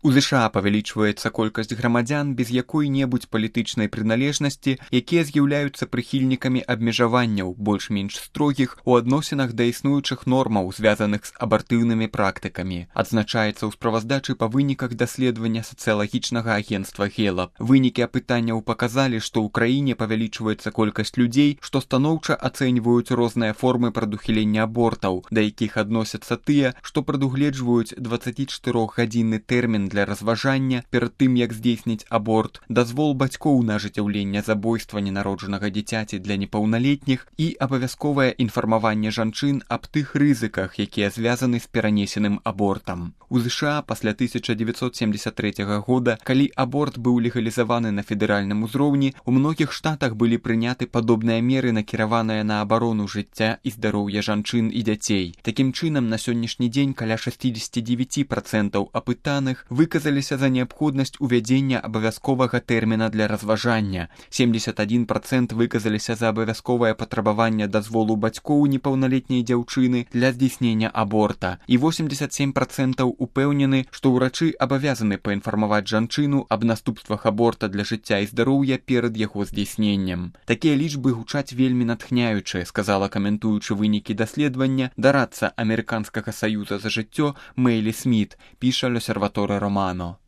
У ЗША павялічваецца колькасць грамадзян без якой-небудзь палітычнай прыналежнасці, якія з'яўляюцца прыхільнікамі абмежаванняў, больш-менш строгіх, у адносінах да існуючых нормаў, звязаных з абартыўнымі практыкамі. Адзначаецца ў справаздачы па выніках даследавання сацыялагічнага агенцтва Гелап. Вынікі апытанняў паказалі, што ў краіне павялічваецца колькасць людзей, што станоўча ацэньваюць розныя формы прадухілення абортаў, да якіх адносяцца тыя, што прадугледжваюць 24-гадзінны тэрмін для разважання перад тым, як здзейсніць аборт, дазвол бацькоў на ажыццяўленне забойства ненароджанага дзіцяці для непаўналетніх і абавязковае інфармаванне жанчын аб тых рызыках, якія звязаны з перанесеным абортам. У ЗША пасля 1973 года, калі аборт быў легалізаваны на федэральным узроўні, у многіх штатах былі прыняты падобныя меры, накіраваныя на абарону жыцця і здароўя жанчын і дзяцей. Такім чынам, на сённяшні дзень каля 69% апытаных выказаліся за неабходнасць увядзення абавязковага тэрміна для разважання, 71% выказаліся за абавязковае патрабаванне дазволу бацькоў непаўналетняй дзяўчыны для здзейснення аборта, і 87% упэўнены, што ўрачы абавязаны паінфармаваць жанчыну аб наступствах аборта для жыцця і здароўя перад яго здзейсненнем. Такія лічбы гучаць вельмі натхняючы, сказала, каментуючы вынікі даследавання, дарадца Амерыканскага саюза за жыццё Мэйлі Сміт, піша L'Osservatore Romano.